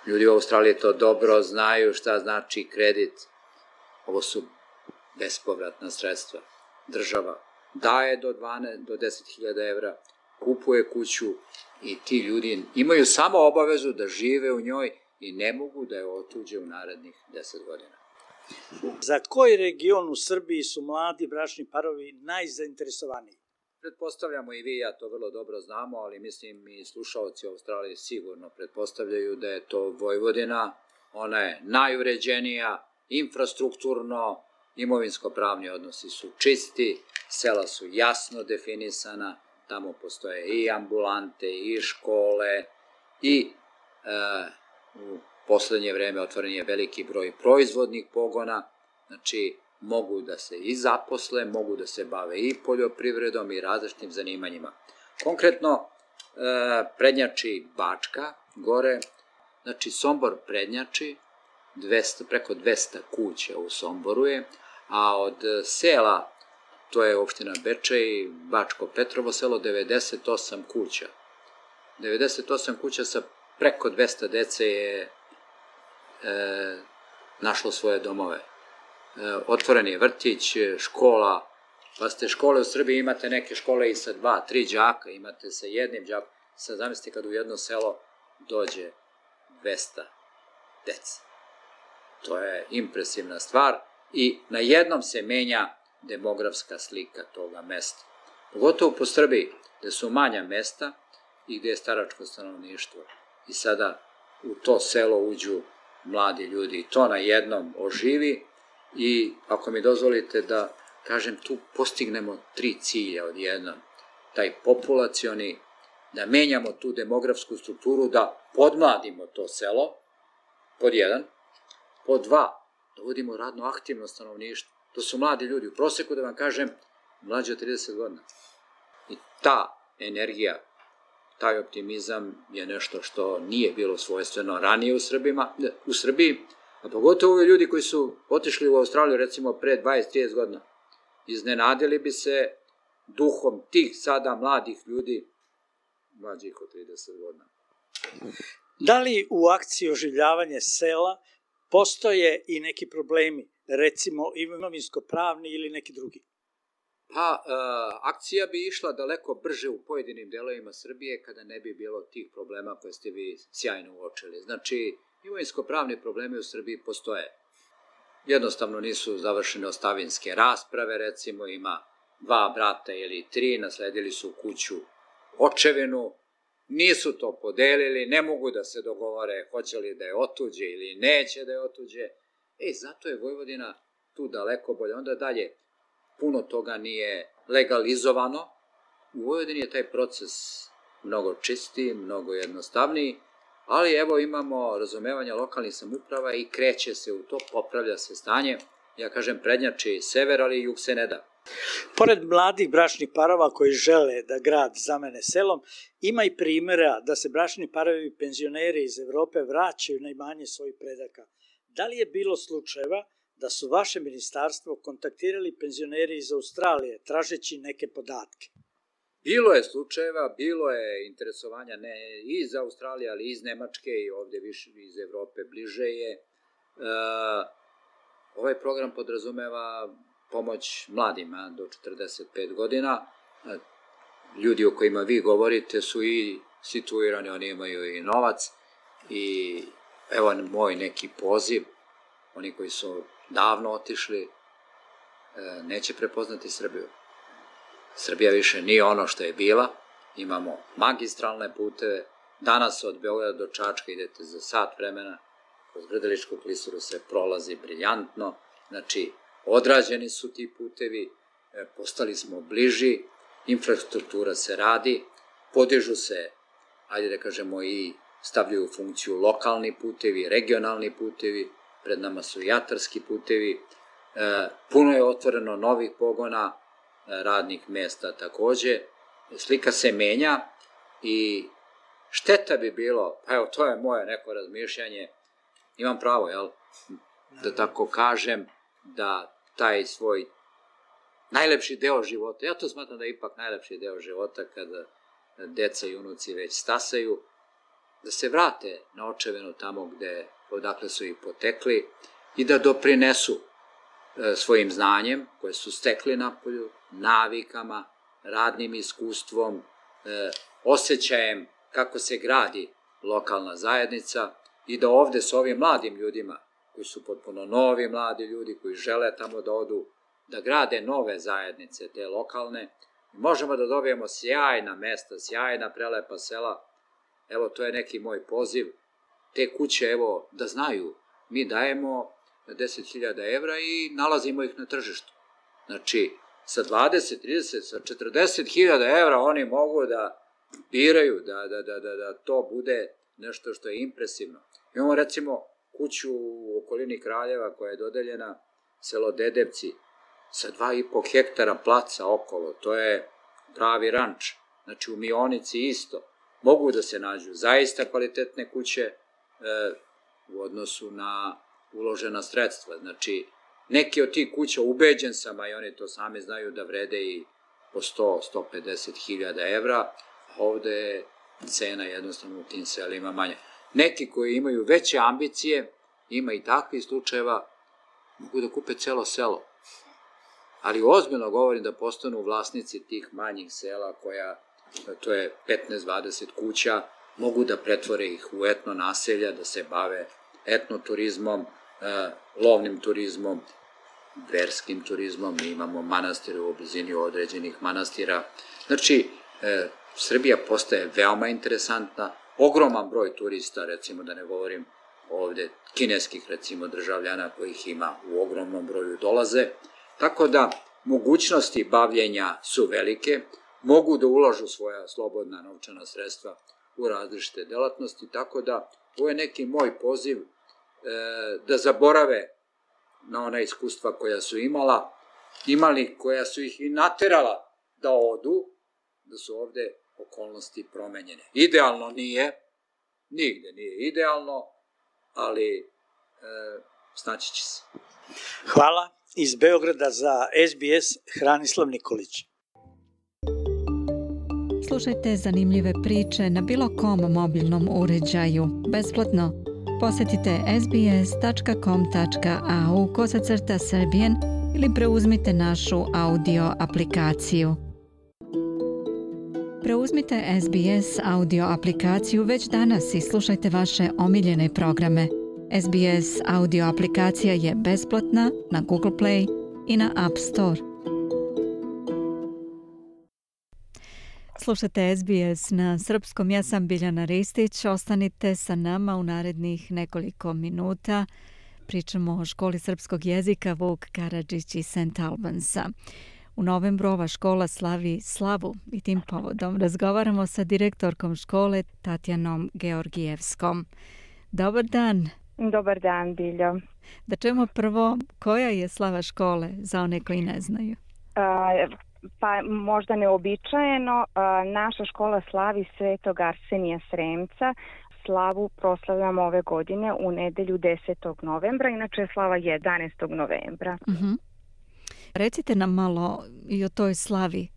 Ljudi u Australiji to dobro znaju šta znači kredit. Ovo su bespovratna sredstva. Država daje do dvanaest do deset hiljada evra, kupuje kuću i ti ljudi imaju samo obavezu da žive u njoj i ne mogu da je otuđe u narednih deset godina. Za koji region u Srbiji su mladi bračni parovi najzainteresovaniji? Pretpostavljamo i vi, ja to vrlo dobro znamo, ali mislim i slušalci u Australiji sigurno pretpostavljaju da je to Vojvodina. Ona je najuređenija, infrastrukturno, imovinsko-pravni odnosi su čisti, sela su jasno definisana, tamo postoje i ambulante, i škole, i e, u poslednje vreme otvoren je veliki broj proizvodnih pogona, znači mogu da se i zaposle, mogu da se bave i poljoprivredom i različitim zanimanjima. Konkretno, e, prednjači Bačka, gore, znači Sombor prednjači, dvesta, preko dvesta kuća u Somboru je, a od sela, to je opština Bečej, Bačko Petrovo selo, devedeset osam kuća. devedeset osam kuća sa preko dvesta dece je e, našlo svoje domove. E, otvoren je vrtić, škola, pa ste škole u Srbiji, imate neke škole i sa dva, tri đaka, imate sa jednim đakom. Sad zamislite kad u jedno selo dođe dvesta dece. To je impresivna stvar i na jednom se menja demografska slika toga mesta. Pogotovo po Srbiji, gde su manja mesta i gde je staračko stanovništvo. I sada u to selo uđu mladi ljudi i to na jednom oživi i ako mi dozvolite da kažem, tu postignemo tri cilja odjednom. Taj populacioni, da menjamo tu demografsku strukturu, da podmladimo to selo, pod jedan, pod dva, da vodimo radno aktivno stanovništvo. To su mladi ljudi, u proseku da vam kažem, mlađi od trideset godina. I ta energija, taj optimizam je nešto što nije bilo svojstveno ranije u, Srbima, u Srbiji, a pogotovo ovi ljudi koji su otišli u Australiju recimo pre dvadeset do trideset godina. Iznenadili bi se duhom tih sada mladih ljudi, mlađih od trideset godina. Da li u akciji oživljavanje sela postoje i neki problemi, recimo imovinsko-pravni ili neki drugi? Pa, e, akcija bi išla daleko brže u pojedinim delovima Srbije kada ne bi bilo tih problema koje ste vi sjajno uočili. Znači, imovinsko-pravni problemi u Srbiji postoje. Jednostavno nisu završene ostavinske rasprave, recimo ima dva brata ili tri, nasledili su kuću očevinu, nisu to podelili, ne mogu da se dogovore hoće li da je otuđe ili neće da je otuđe. E, zato je Vojvodina tu daleko bolje. Onda dalje, puno toga nije legalizovano. U Vojvodini je taj proces mnogo čistiji, mnogo jednostavniji, ali evo imamo razumevanja lokalnih samouprava i kreće se u to, popravlja se stanje. Ja kažem prednjači sever, ali jug se ne da. Pored mladih bračnih parova koji žele da grad zamene selom, ima i primjera da se bračni parovi i penzioneri iz Evrope vraćaju na imanje svojih predaka. Da li je bilo slučajeva da su vaše ministarstvo kontaktirali penzioneri iz Australije tražeći neke podatke? Bilo je slučajeva, bilo je interesovanja ne iz Australije, ali iz Nemačke i ovdje više iz Evrope bliže je. E, ovaj program podrazumeva pomoć mladima do četrdeset pet godina. Ljudi o kojima vi govorite su i situirani, oni imaju i novac. I evo moj neki poziv, oni koji su davno otišli, neće prepoznati Srbiju. Srbija više nije ono što je bila, imamo magistralne puteve, danas od Beograda do Čačka idete za sat vremena, kroz Grdeličku klisuru se prolazi briljantno, znači odrađeni su ti putevi, postali smo bliži, infrastruktura se radi, podižu se, ajde da kažemo, i stavljaju u funkciju lokalni putevi, regionalni putevi, pred nama su i atarski putevi, puno je otvoreno novih pogona, radnih mesta takođe, slika se menja i šteta bi bilo, pa evo to je moje neko razmišljanje, imam pravo, jel, da tako kažem, da taj svoj najlepši deo života, ja to smatram da je ipak najlepši deo života kada deca i unuci već stasaju, da se vrate na očevinu tamo gde, odakle su ih potekli i da doprinesu svojim znanjem koje su stekli napolju, navikama, radnim iskustvom, osjećajem kako se gradi lokalna zajednica i da ovde s ovim mladim ljudima, koji su potpuno novi mladi ljudi, koji žele tamo da odu, da grade nove zajednice, te lokalne, možemo da dobijemo sjajna mesta, sjajna prelepa sela. Evo, to je neki moj poziv. Te kuće, evo, da znaju, mi dajemo deset hiljada evra i nalazimo ih na tržištu. Znači, sa dvadeset, trideset, sa četrdeset hiljada evra oni mogu da biraju, da, da, da, da, da to bude nešto što je impresivno. Imamo recimo kuću u okolini Kraljeva koja je dodeljena, selo Dedevci, sa dva i po hektara placa okolo, to je pravi ranč. Znači u Mionici isto. Mogu da se nađu zaista kvalitetne kuće e, u odnosu na uložena sredstva. Znači, neki od tih kuća, ubeđen sam, a i oni to sami znaju da vrede i po sto do sto pedeset hiljada evra, ovde je cena jednostavno u tim selima manja. Neki koji imaju veće ambicije, ima i takvih slučajeva, mogu da kupe celo selo. Ali ozbiljno govorim da postanu vlasnici tih manjih sela koja, to je petnaest dvadeset kuća, mogu da pretvore ih u etno naselja, da se bave etnoturizmom, lovnim turizmom, verskim turizmom, mi imamo manastire u blizini određenih manastira. Znači, e, Srbija postaje veoma interesantna, ogroman broj turista, recimo da ne govorim ovde, kineskih recimo državljana kojih ima u ogromnom broju dolaze, tako da mogućnosti bavljenja su velike, mogu da ulažu svoja slobodna novčana sredstva u različite delatnosti, tako da ovo je neki moj poziv e, da zaborave na ona iskustva koja su imala, imali koja su ih i naterala da odu, da su ovde okolnosti promenjene. Idealno nije, nigde nije idealno, ali e, snaći će se. Hvala. Iz Beograda za S B S Hranislav Nikolić. Slušajte zanimljive priče na bilo kom mobilnom uređaju, besplatno. Posjetite s b s tačka com tačka a u kosacrta Serbian ili preuzmite našu audio aplikaciju. Preuzmite S B S audio aplikaciju već danas i slušajte vaše omiljene programe. S B S audio aplikacija je besplatna na Google Play i na App Store. Slušajte S B S na srpskom, ja sam Biljana Ristić, ostanite sa nama u narednih nekoliko minuta. Pričamo o školi srpskog jezika Vuk Karadžić iz Saint Albansa. U novembru ova škola slavi slavu i tim povodom razgovaramo sa direktorkom škole Tatjanom Georgijevskom. Dobar dan. Dobar dan, Biljo. Da čujemo prvo koja je slava škole za one koji ne znaju. Pa možda neobičajeno, naša škola slavi Svetog Arsenija Sremca. Slavu proslavljamo ove godine u nedelju desetog novembra, inače je slava jedanaestog novembra. Uh-huh. Recite nam malo i o toj slavi.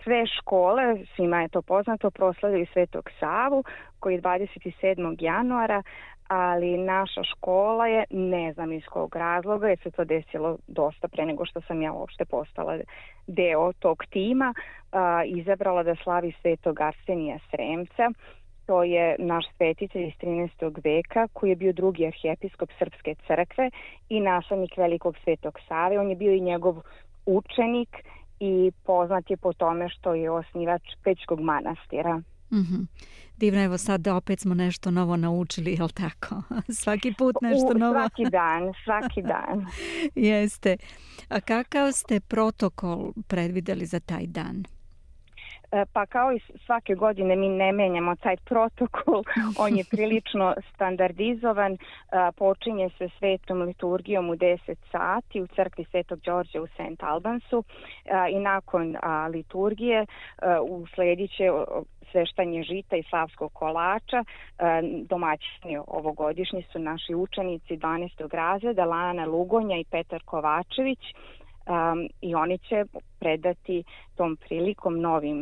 Sve škole, svima je to poznato, proslavljaju Svetog Savu koji je dvadeset sedmog januara, ali naša škola je, ne znam iz kog razloga, jer se to desilo dosta pre nego što sam ja uopšte postala deo tog tima, a, izabrala da slavi Svetog Arsenija Sremca. To je naš svetitelj iz trinaestog veka koji je bio drugi arhijepiskop Srpske crkve i naslednik velikog Svetog Save. On je bio i njegov učenik i poznat je po tome što je osnivač Pećkog manastira. Mm-hmm. Divno, evo sad opet smo nešto novo naučili, jel tako? Svaki put nešto U, novo. Svaki dan, svaki dan. Jeste. A kakav ste protokol predvideli za taj dan? Pa kao i svake godine mi ne menjamo taj protokol, on je prilično standardizovan, počinje se svetom liturgijom u deset sati u crkvi Svetog Đorđa u Saint Albansu i nakon liturgije usledit će sveštanje žita i slavskog kolača. Domaćini ovogodišnji su naši učenici dvanaestog razreda, Lana Lugonja i Petar Kovačević. Um, i oni će predati tom prilikom novim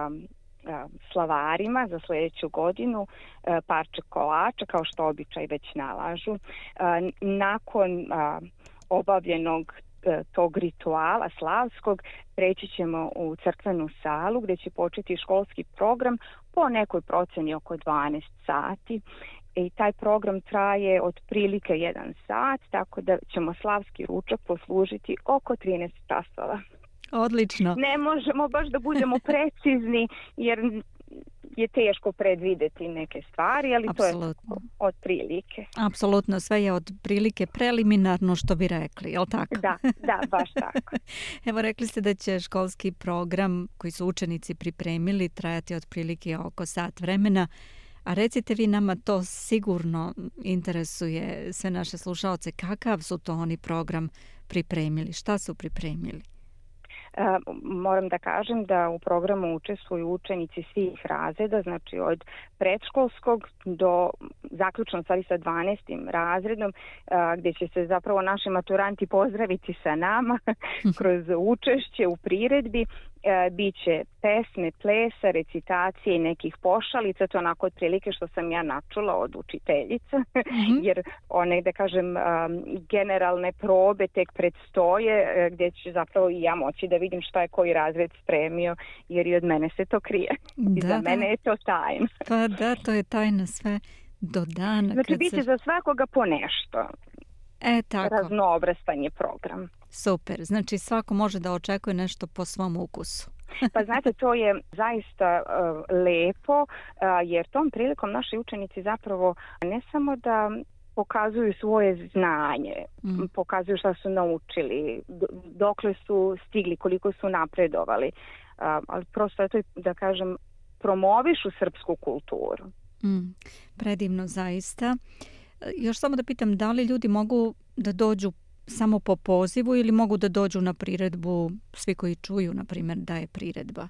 um, uh, slavarima za sljedeću godinu uh, parče kolača, kao što običaj već nalažu. Uh, nakon uh, obavljenog uh, tog rituala slavskog preći ćemo u crkvenu salu gdje će početi školski program po nekoj proceni oko dvanaest sati. I taj program traje otprilike jedan sat, tako da ćemo slavski ručak poslužiti oko trinaest časova. Odlično. Ne možemo baš da budemo precizni jer je teško predvideti neke stvari, ali Absolutno. To je otprilike. Apsolutno, sve je otprilike preliminarno što bi rekli, je li tako? Da, da, baš tako. Evo, rekli ste da će školski program koji su učenici pripremili trajati otprilike oko sat vremena. A recite vi nama, to sigurno interesuje sve naše slušaoce, kakav su to oni program pripremili, šta su pripremili? Uh, moram da kažem da u programu učestvuju učenici svih razreda, znači od predškolskog do zaključno stvari sa dvanaestim razredom, uh, gdje će se zapravo naši maturanti pozdraviti sa nama kroz učešće u priredbi. E, biće pesme, plesa, recitacije i nekih pošalica, to onako otprilike što sam ja načula od učiteljica, mm-hmm. jer one, da kažem, um, generalne probe tek predstoje, gdje će zapravo i ja moći da vidim šta je koji razred spremio, jer i od mene se to krije. I da, za mene je to tajna. Pa da, to je tajna sve do dana. Znači, biće se... za svakoga po nešto. E, tako. Raznoobrazan je program. Super, znači svako može da očekuje nešto po svom ukusu. Pa znate, to je zaista uh, lepo, uh, jer tom prilikom naši učenici zapravo ne samo da pokazuju svoje znanje, mm. pokazuju šta su naučili, dokle su stigli, koliko su napredovali, uh, ali prosto eto, da kažem, promovišu srpsku kulturu. Mm. Predivno zaista. Još samo da pitam, da li ljudi mogu da dođu samo po pozivu ili mogu da dođu na priredbu svi koji čuju, na primjer, da je priredba?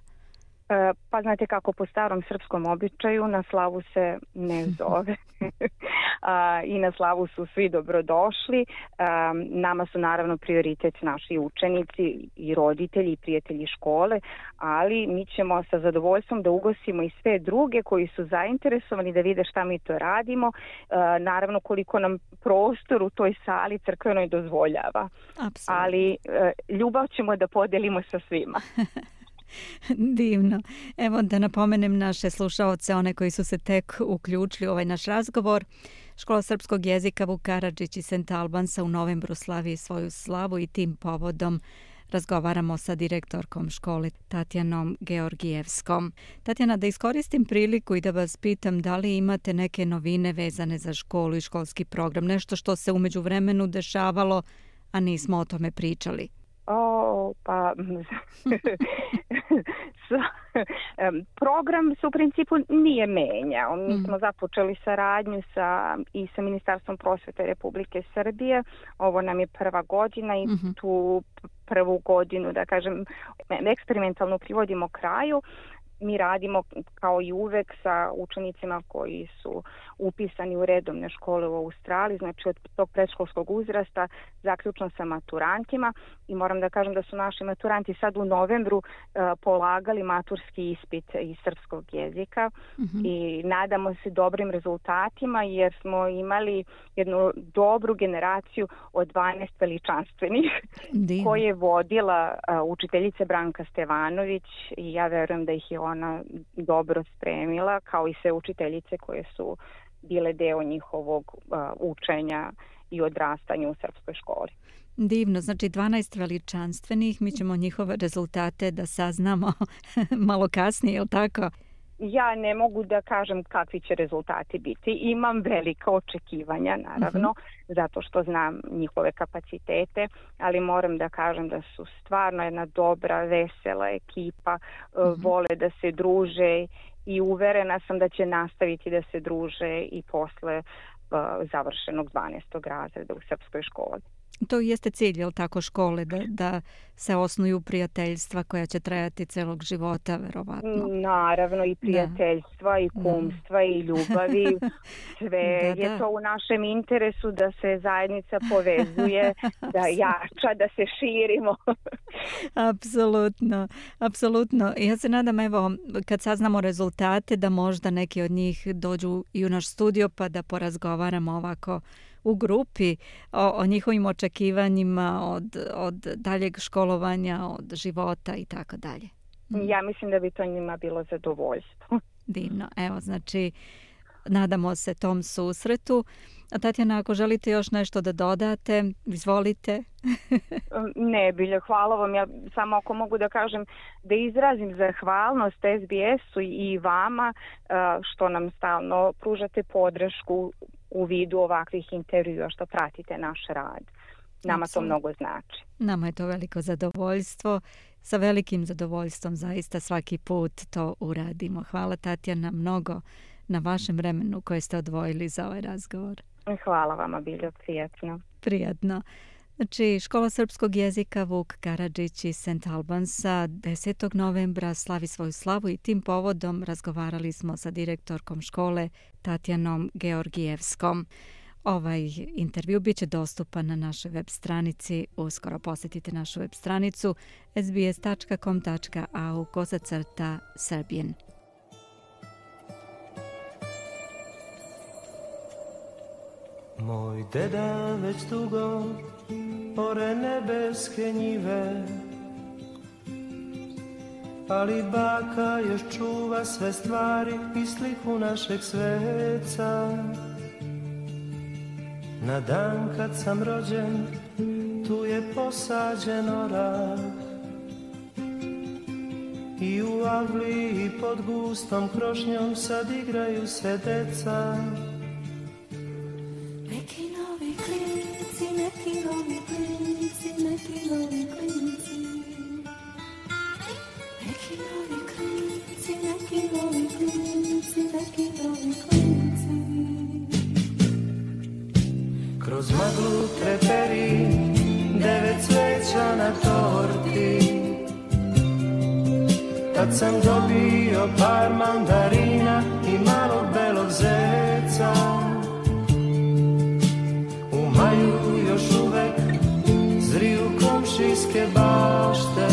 E, pa znate kako po starom srpskom običaju na slavu se ne zove. A, i na slavu su svi dobrodošli. A, nama su naravno prioritet naši učenici i roditelji i prijatelji škole, ali mi ćemo sa zadovoljstvom da ugostimo i sve druge koji su zainteresovani da vide šta mi to radimo. A, naravno koliko nam prostor u toj sali crkvenoj dozvoljava. Apsolutno. Ali a, ljubav ćemo da podelimo sa svima. Divno. Evo da napomenem naše slušaoce, one koji su se tek uključili u ovaj naš razgovor. Škola srpskog jezika Vuk Karadžić iz Saint Albansa u novembru slavi svoju slavu i tim povodom razgovaramo sa direktorkom škole Tatjanom Georgijevskom. Tatjana, da iskoristim priliku i da vas pitam da li imate neke novine vezane za školu i školski program, nešto što se u međuvremenu dešavalo, a nismo o tome pričali. O, pa program se u principu nije menjao. Mi smo započeli saradnju sa, i sa Ministarstvom prosvete Republike Srbije. Ovo nam je prva godina i tu prvu godinu, da kažem, eksperimentalno privodimo kraju. Mi radimo kao i uvek sa učenicima koji su upisani u redovne škole u Australiji, znači od tog predškolskog uzrasta, zaključno sa maturantima, i moram da kažem da su naši maturanti sad u novembru uh, polagali maturski ispit iz srpskog jezika mm-hmm. i nadamo se dobrim rezultatima jer smo imali jednu dobru generaciju od dvanaest veličanstvenih Divno. koje je vodila uh, učiteljica Branka Stevanović i ja verujem da ih je ona dobro spremila, kao i sve učiteljice koje su bile deo njihovog uh, učenja i odrastanja u srpskoj školi. Divno, znači dvanaest veličanstvenih, mi ćemo njihove rezultate da saznamo malo kasnije, je li tako? Ja ne mogu da kažem kakvi će rezultati biti. Imam velika očekivanja, naravno, uh-huh. zato što znam njihove kapacitete, ali moram da kažem da su stvarno jedna dobra, vesela ekipa, uh-huh. vole da se druže i uverena sam da će nastaviti da se druže i posle uh, završenog dvanaestog razreda u srpskoj školi. To jeste cilj, je li tako, škole, da, da se osnuju prijateljstva koja će trajati celog života, verovatno. Naravno, i prijateljstva, da. i kumstva, da. i ljubavi. Sve da, je da. to u našem interesu da se zajednica povezuje, da jača, da se širimo. Apsolutno, apsolutno. Ja se nadam, evo, kad saznamo rezultate, da možda neki od njih dođu i u naš studio pa da porazgovaramo ovako u grupi o, o njihovim očekivanjima od, od daljeg školovanja, od života i tako dalje. Ja mislim da bi to njima bilo zadovoljstvo. Divno. Evo, znači, nadamo se tom susretu. A Tatjana, ako želite još nešto da dodate, izvolite. Ne, Bilja, hvala vam. Ja samo ako mogu da kažem da izrazim zahvalnost S B S-u i vama što nam stalno pružate podršku u vidu ovakvih intervjua, što pratite naš rad. Nama Absolut. to mnogo znači. Nama je to veliko zadovoljstvo. Sa velikim zadovoljstvom zaista svaki put to uradimo. Hvala, Tatjana, mnogo na vašem vremenu koje ste odvojili za ovaj razgovor. Hvala vama, Biljo, prijatno. Prijatno. Znači, Škola srpskog jezika Vuk Karadžić iz Saint Albansa desetog novembra slavi svoju slavu i tim povodom razgovarali smo sa direktorkom škole Tatjanom Georgijevskom. Ovaj intervju bit će dostupan na našoj web stranici. Uskoro posjetite našu web stranicu s b s tačka com tačka a u kosacrta Serbian. Moj deda već dugo ore nebeske njive, ali baka još čuva sve stvari i sliku našeg sveca. Na dan kad sam rođen, tu je posađen orah i u avliji pod gustom krošnjom sad igraju se deca. Neki novi klinci, neki novi klinci, neki novi klinci. Neki novi klinci, neki novi klinci, neki novi klinci. Kroz maglu treperi, devet sveća na torti. Tad sam dobio par mandarina i malog belog zeca. U maju još uvek zriju komšijske bašte,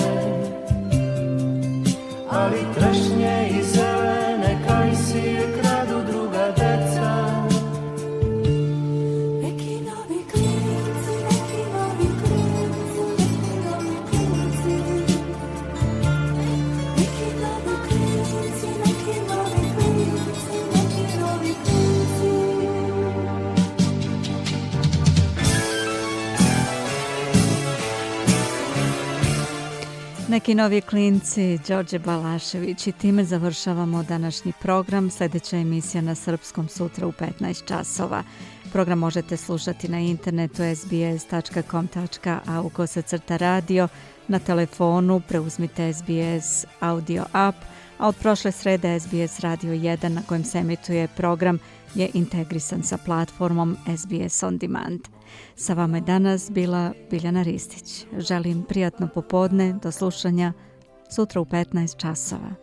ali trešnje i zelene kajsije kradu druga deca. Neki novi klinci, Đorđe Balašević, i time završavamo današnji program. Sljedeća emisija na srpskom sutra u petnaest časova. Program možete slušati na internetu s b s tačka com tačka a u kosacrta radio, na telefonu preuzmite S B S audio app, a od prošle srede S B S Radio jedan na kojem se emituje program je integrisan sa platformom S B S On Demand. Sa vama je danas bila Biljana Ristić. Želim prijatno popodne, do slušanja sutra u petnaest časova.